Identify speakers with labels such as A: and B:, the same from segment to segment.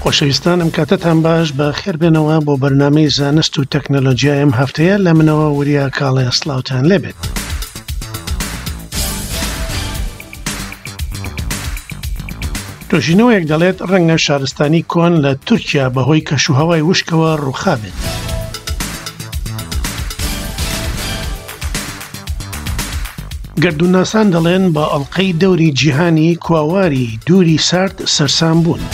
A: خۆشەویستان ئەم کاتەتان باش بە خێربێنەوە بۆ بەرنامەی زانست و تەکنەلۆجیای ئەم هەفتەیە لە منەوە وریا کاڵێ سڵاوتان لێبێت. توێژینەوەیەک دەڵێت ڕەنگە شارستانی کۆن لە تورکیا بەهۆی کەشوهەوای وشکەوە ڕووخابێت. گەردوونناسان دەڵێن بە ئەڵقەی دەوری جیهانی کواواری دووری سارد سەرسام بوون.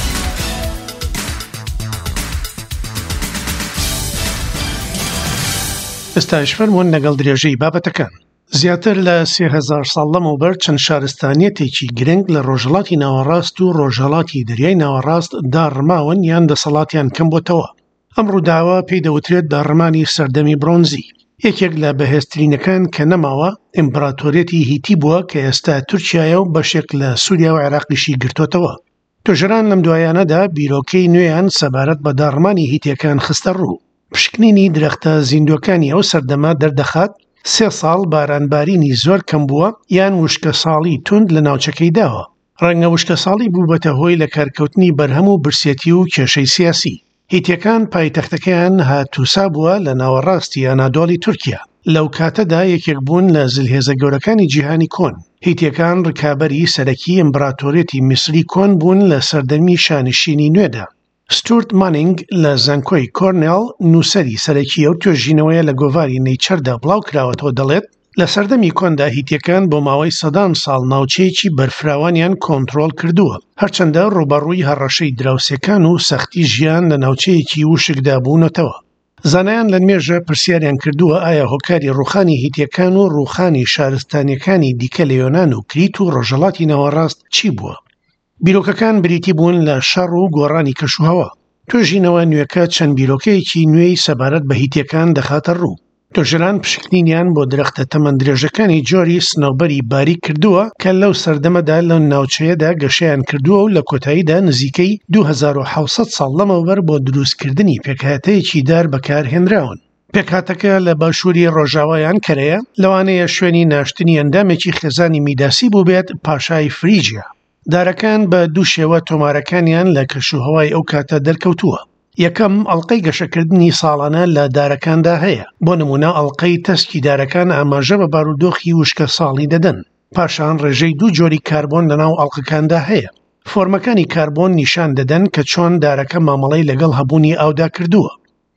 A: ئێستاش فەرموون لەگەڵ درێژەی بابەتەکان. زیاتر لە 3000 ساڵ لەمەوبەر چەند شارستانیەتێکی گرنگ لە ڕۆژهەڵاتی ناوەڕاست و ڕۆژهەڵاتی دەریای ناوەڕاست داڕماون یان دەسەڵاتیان کەم بۆتەوە. ئەم ڕووداوە پێی دەوترێت داڕمانی سەردەمی برۆنزی. یەکێک لە بەهێزترینەکان کە نەماوە، ئیمپراتۆریەتی هیتی بووە کە ئێستا تورکیایە و بەشێک لە سووریا و عێراقیشی گرتۆتەوە. توێژەران لەم دوایانەدا بیرۆکەی نوێیان سەبارەت بە داڕمانی هیتیەکان خستە ڕوو. پشکنینی درەختە زیندووەکانی ئەو سەردەمە دەردەخات سێ ساڵ بارانبارینی زۆر کەم بووە یان وشکەساڵی توند لە ناوچەکەی داوە. ڕەنگە وشکەساڵی بووبەتە هۆی لەکارکەوتنی بەرهەم و برسێتی و کێشەی سیاسی. هیتیەکان پایتەختەکەیان هاتوسا بووە لە ناوەڕاستی ئەنادۆڵی تورکیا. لەو کاتەدا یەکێک بوون لە زلهێزە گەورەکانی جیهانی کۆن. هیتیەکان ڕکابەری سەرەکی ئیمبراتۆریەتی میسری کۆن بوون لە سەردەمی شانشینی نوێدا. ستورت مانینگ لە زانکۆی کۆرنێڵ نووسەری سەرەکی ئەو توێژینەوەیە لە گۆڤاری نەیچەردا بڵاوکراوەتەوە دەڵێت، لە سەردەمی کۆندا هیتیەکان بۆ ماوەی سەدان ساڵ ناوچەیەکی بەرفراوانیان کۆنترۆڵ کردووە، هەرچەندە ڕووبەڕووی هەڕەشەی دراوسێکان و سەختی ژیان لە ناوچەیەکی وشکدا بوونەتەوە. زانایان لە مێژە پرسیاریان کردووە ئایا هۆکاری ڕووخانی هیتیەکان و ڕووخانی شارستانیەکانی دیکە لە یۆنان و کریت و ڕۆژهەڵاتی ناوەڕاست چی بووە؟ بیرۆکەکان بریتی بوون لە شەڕ و گۆڕانی کەشوهەوا. توێژینەوە نوێکە چەند بیرۆکەیەکی نوێی سەبارەت بە هیتیەکان دەخاتە ڕوو. توێژەران پشکنینیان بۆ درەختە تەمەن درێژەکانی جۆری سنەوبەری باریک کردووە کە لەو سەردەمەدا لەو ناوچەیەدا گەشەیان کردووە و لە کۆتاییدا نزیکەی 2700 ساڵ لەمەوبەر بۆدروستکردنی پێکهاتەیەکی دار بەکارهێنراون. پێکهاتەکە لە باشووری ڕۆژاوای ئەنکەرەیە، لەوانەیە شوێنی ناشتنی ئەندامێکی خێزانی میداسی بووبێت، پاشای فریجیا. دارەکان بە دوو شێوە تۆمارەکانیان لە کەشوهەوای ئەو کاتە دەرکەوتووە. یەکەم، ئەڵقەی گەشەکردنی ساڵانە لە دارەکاندا هەیە، بۆ نموونە ئەڵقەی تەسکی دارەکان ئاماژە بە بارودۆخی وشکەساڵی دەدەن. پاشان ڕێژەی دوو جۆری کاربۆن لەناو ئەڵقەکاندا هەیە. فۆرمەکانی کاربۆن نیشان دەدەن کە چۆن دارەکە مامەڵەی لەگەڵ هەبوونی ئاودا کردووە.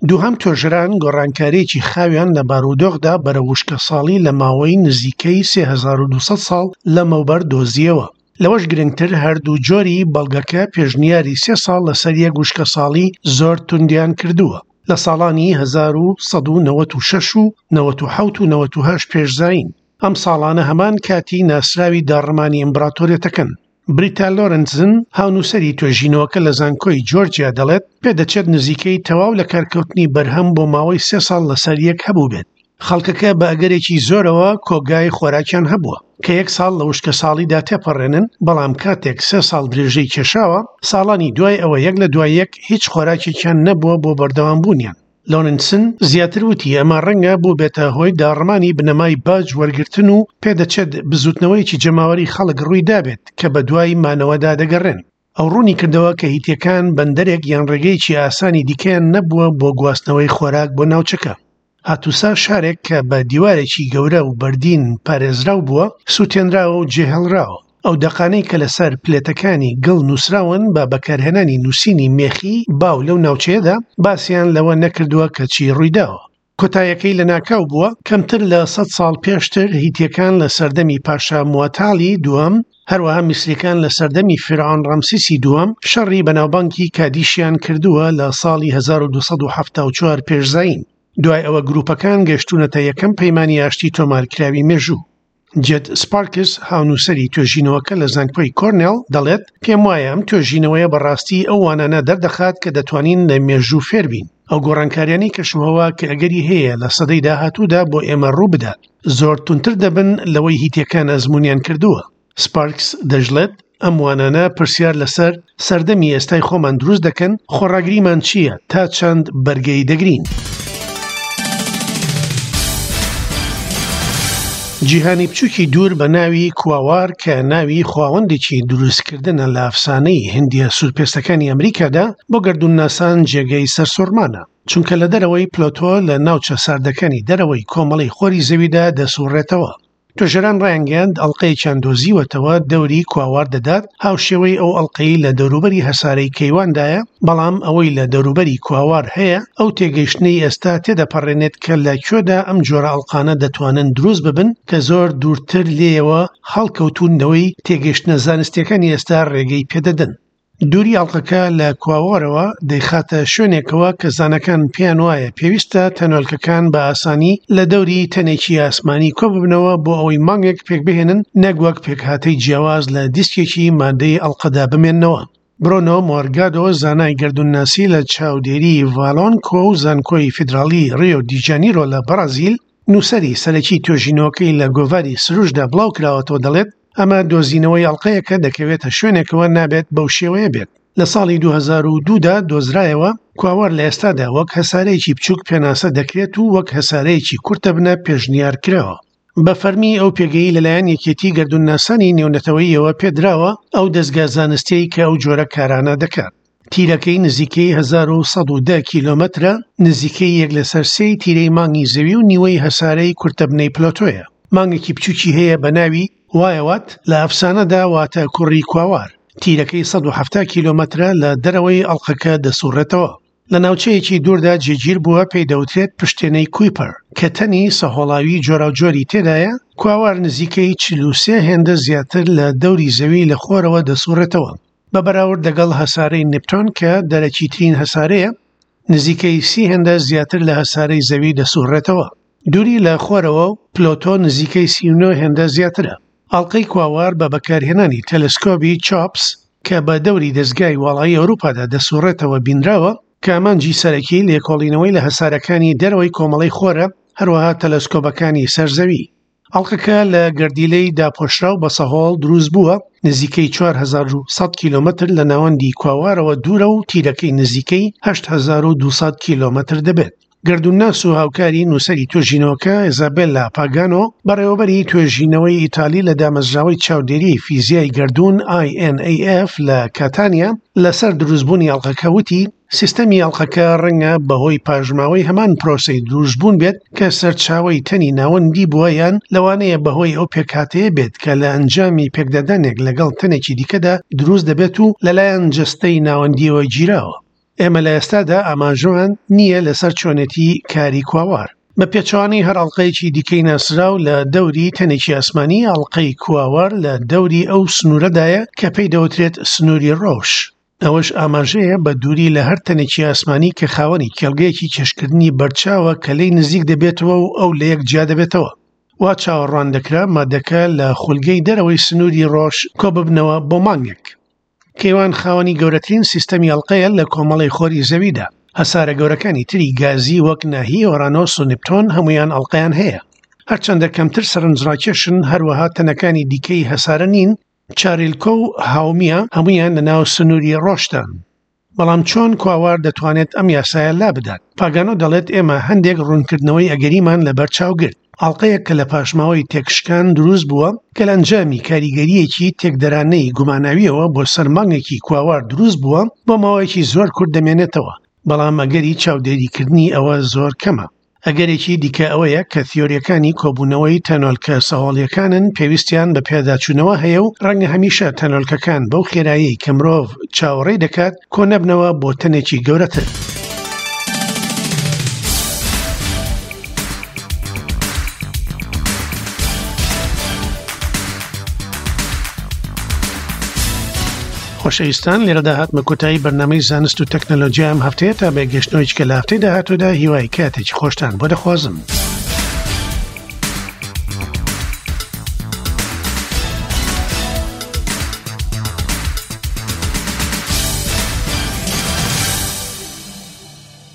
A: دووهەم توێژەران گۆڕانکارییەکی خاویان لە بارودۆخدا بەرەو وشکەساڵی لە ماوەی نزیکەی 3200 ساڵ لەمەوبەر دۆزییەوە. لەوەش گرنگتر هەردوو جۆری بەڵگەکە پێشنیاری سێ ساڵ لەسەر یەک وشکەساڵی زۆر توندیان کردووە لە ساڵانی 1196 و 97 و 98 پێش زایین. ئەم ساڵانە هەمان کاتی ناسراوی داڕمانی ئیمبراتۆریەتەکەن. بریتا لۆرنتزن، هاونووسەری توێژینەوەکە لە زانکۆی جۆرجیا دەڵێت، پێدەچێت نزیکەی تەواو لەکارکەوتنی بەرهەم بۆ ماوەی سێ ساڵ لەسەر یەک هەبووبێت. خەڵکەکە بە ئەگەرێکی زۆرەوە کۆگای خۆراکیان هەبووە، کە یەک ساڵ لە وشکەساڵیدا تێپەڕێنن، بەڵام کاتێک سێ ساڵ درێژەی کێشاوە، ساڵانی دوای ئەوە یەک لە دوای یەک هیچ خۆراکێکیان نەبووە بۆ بەردەوامبوونیان. لۆرنسن زیاتر وتی ئەمە ڕەنگە بووبێتە هۆی داڕمانی بنەمای باج وەرگرتن و پێدەچێت بزوتنەوەیەکی جەماوەری خەڵک ڕووی دابێت کە بەدوای مانەوەدا دەگەڕێن. ئەو ڕوونی کردەوە کە هیتیەکان بەندەرێک یان ڕێگەیەکی ئاسانی دیکەیان نەبووە بۆ گواستنەوەی خۆراک بۆ ناوچەکە. هاتوسا شارێک کە بە دیوارێکی گەورە و بەردین پارێزراو بووە، سووتێنراوە و جێهێڵراوە. ئەو دەقانەی کە لەسەر پلێتەکانی گڵ نووسراون بە بەکارهێنانی نووسینی مێخی باو لەو ناوچەیەدا، باسیان لەوە نەکردووە کە چی ڕوویداوە. کۆتایەکەی لەناکاو بووە، کەمتر لە سەد ساڵ پێشتر هیتییەکان لە سەردەمی پاشا مواتالی دووەم، هەروەها میسرییەکان لە سەردەمی فیرعۆن ڕەمسیسی دووەم شەڕی بەناوبانگی کادیشیان کردووە لە ساڵی 1274 پێش زایین. دوای ئەوە گرووپەکان گەشتوونەتە یەکەم پەیمانی ئاشتی تۆمارکراوی مێژوو. جێد سپارکس، هاونووسەری توێژینەوەکە لە زانکۆی کۆرنێڵ، دەڵێت، پێم وایە ئەم توێژینەوەیە بەڕاستی ئەو وانانە دەردەخات کە دەتوانین لە مێژوو فێربین، ئەو گۆڕانکاریانەی کەشوهەوا کە ئەگەری هەیە لە سەدەی داهاتوودا بۆ ئێمە ڕووبدات، زۆر توندتر دەبن لەوەی هیتیەکان ئەزموونیان کردووە. سپارکس دەشڵێت، ئەم وانانە پرسیار لەسەر سەردەمی ئێستای خۆمان دروست دەکەن، خۆڕاگریمان چییە، تا چەند بەرگەی دەگرین؟ جیهانی بچووکی دوور بە ناوی کواوار کە ناوی خواوەندێکی دروستکردنە لە ئەفسانەی هندییە سوورپێستەکانی ئەمریکادا، بۆ گەردوونناسان جێگەی سەرسوڕمانە، چونکە لە دەرەوەی پلۆتۆ لە ناوچە ساردەکانی دەرەوەی کۆمەڵەی خۆری زەویدا دەسوڕێتەوە. توێژەران ڕایانگەیاند ئەڵقەیەکیان دۆزیوەتەوە دەوری کواوار دەدات هاوشێوەی ئەو ئەڵقەی لە دەوروبەری هەسارەی کەیواندایە، بەڵام ئەوەی لە دەوروبەری کواوار هەیە ئەو تێگەیشتنەی ئێستا تێدەپەڕێنێت کە لە کوێدا ئەم جۆرە ئەڵقانە دەتوانن دروست ببن کە زۆر دوورتر لێیەوە هەڵکەوتوون لەوەی تێگەیشتنە زانستییەکانی ئێستا ڕێگەی پێدەدەن. دووری ئەڵقەکە لە کواوارەوە دەیخاتە شوێنێکەوە کە زاناکان پێیان وایە پێویستە تەنۆلکەکان بە ئاسانی لە دەوری تەنێکی ئاسمانی کۆببنەوە بۆ ئەوەی مانگێک پێکبهێنن نەک وەک پێکهاتەی جیاواز لە دیسکێکی مادەی ئەڵقەدا بمێننەوە. برۆنۆ مۆرگادۆ زانای گەردوونناسی لە چاودێری ڤالۆنکۆ و زانکۆی فیدراڵی ڕیۆ دی جانیرۆ لە بەڕازیل، نووسەری سەرەکی توێژینەوەکەی لە گۆڤاری سروشدا بڵاوکراوەتەوە دەڵێت، ئەمە دۆزینەوەی ئەڵقەیەکە دەکەوێتە شوێنێکەوە نابێت بەو شێوەیە بێت. لە ساڵی 2002 دا دۆزرایەوە، کواوار لە ئێستادا وەک هەسارەیەکی بچووک پێناسە دەکرێت و وەک هەسارەیەکی کورتەبنە پێشنیار کراوە. بە فەرمی ئەو پێگەی لەلایەن یەکێتی گەردوونناسانی نێونەتەوەییەوە پێدراوە، ئەو دەزگا زانستیەی کە ئەو جۆرە کارانە دەکات. تیرەکەی نزیکەی 1110 کیلۆمەترە، نزیکەی یەک لەسەر سێی تیرەی مانگی زەوی و نیوەی هەسارەی کورتەبنەی پلۆتۆیە. مانگێکی بچووکی هەیە بە ناوی، وایەوات، لە ئەفسانەدا واتە کوڕی کواوار. تیرەکەی 170 کیلۆمەترە لە دەرەوەی ئەڵقەکە دەسوڕێتەوە. لە ناوچەیەکی دووردا جێگیر بووە پێی دەوترێت پشتێنەی کویپەر کە تەنی سەهۆڵاوی جۆراوجۆری تێدایە، کواوار نزیکەی 43 هێندە زیاتر لە دەوری زەوی لە خۆرەوە دەسوڕێتەوە بە بەراورد لەگەڵ هەسارەی نپتۆن کە دەرەکیترین هەسارەیە نزیکەی سی هێندە زیاتر لە هەسارەی زەوی دەسوڕێتەوە. دووری لە خۆرەوە و پلۆتۆ نزیکەی 39 هێندە زیاترە. ئەڵقەی کواوار بە بەکارهێنانی تەلەسکۆبی چۆپس کە بە دەوری دەزگای واڵایی ئەوروپادا دەسوڕێتەوە بینراوە، کە ئامانجی سەرەکی لێکۆڵینەوەی لە هەسارەکانی دەرەوەی کۆمەڵەی خۆرە، هەروەها تەلەسکۆبەکانی سەر زەوی. ئەڵقەکە لە گەردیلەی داپۆشراو بە سەهۆڵ دروست بووە، نزیکەی 4100 کیلۆمەتر لە ناوەندی کواوارەوە دوورە و تیرەکەی نزیکەی 8200 کیلۆمەتر دەبێت. گەردوونناس و هاوکاری نووسەری توێژینەوەکە ئیزابێلا پاگانۆ، بەڕێوەبەری توێژینەوەی ئیتالی لە دامەزراوەی چاودێریی فیزیای گەردوون INAF لە کاتانیا، لەسەر دروستبوونی ئەڵقەکە وتی، سیستەمی ئەڵقەکە ڕەنگە بەهۆی پاشماوەی هەمان پرۆسەی دروستبوون بێت کە سەرچاوەی تەنی ناوەندی بووە یان لەوانەیە بەهۆی ئەو پێکهاتەیە بێت کە لە ئەنجامی پێکدادانێک لەگەڵ تەنێکی دیکەدا دروست دەبێت و لەلایەن جەستەی ناوەندییەوە گیراوە. ئێمە لە ئێستادا ئاماژەمان نییە لەسەر چۆنێتی کاری کواوار. بە پێچەوانەی هەر ئەڵقەیەکی دیکەی ناسراو لە دەوری تەنێکی ئاسمانی، ئەڵقەی کواوار لە دەوری ئەو سنوورەدایە کە پێی دەوترێت سنووری ڕۆش. ئەوەش ئاماژەیە بە دووری لە هەر تەنێکی ئاسمانی کە خاوەنی کێڵگەیەکی کێشکردنی بەرچاوە کە لێی نزیک دەبێتەوە و ئەو لە یەک جیا دەبێتەوە. وا چاوەڕوان دەکرا مادەکە لە خولگەی دەرەوەی سنووری ڕۆش کۆببنەوە بۆ مانگێک. کەیوان خاوەنی گەورەترین سیستەمی ئەڵقەیە لە کۆمەڵەی خۆری زەویدا. هەسارە گەورەکانی تری گازی وەک ناهی، ئۆرانۆس و نپتۆن هەموویان ئەڵقەیان هەیە. هەرچەندە کەمتر سەرنجڕاکێشن، هەروەها تەنەکانی دیکەی هەسارە نین، چاریلکۆ و هاومیا هەموویان لەناو سنووری ڕۆشدان. بەڵام چۆن کواوار دەتوانێت ئەم یاسایە لابدات؟ پاگانۆ دەڵێت ئێمە هەندێک ڕوونکردنەوەی ئەگەریمان لەبەرچاو گرت. ئەڵقەیەک کە لە پاشماوەی تێکشکان دروست بووە کە لە ئەنجامی کاریگەرییەکی تێکدەرانەی گوماناوییەوە بۆ سەر مانگێکی کواوار دروست بووە بۆ ماوەیەکی زۆر کورت دەمێنێتەوە، بەڵام ئەگەری چاودێریکردنی ئەوە زۆر کەمە. ئەگەرێکی دیکە ئەوەیە کە تیۆرییەکانی کۆبوونەوەی تەنۆلکە سەهۆڵییەکانن پێویستیان بە پێداچوونەوە هەیە و ڕەنگە هەمیشە تەنۆلکەکان بەو خێرایەی کە مرۆڤ چاوەڕێی دەکات کۆنەبنەوە بۆ تەنێکی گەورەتر. خۆشەویستان لێرەدا هاتمە کۆتایی بەرنامەی زانست و تەکنەلۆژیا ئەم هەفتەیە تا بە گەشتنەوەی چکە لە هەفتەی داهاتوودا هیوای کاتێکی خۆشتان بۆ دەخوازم.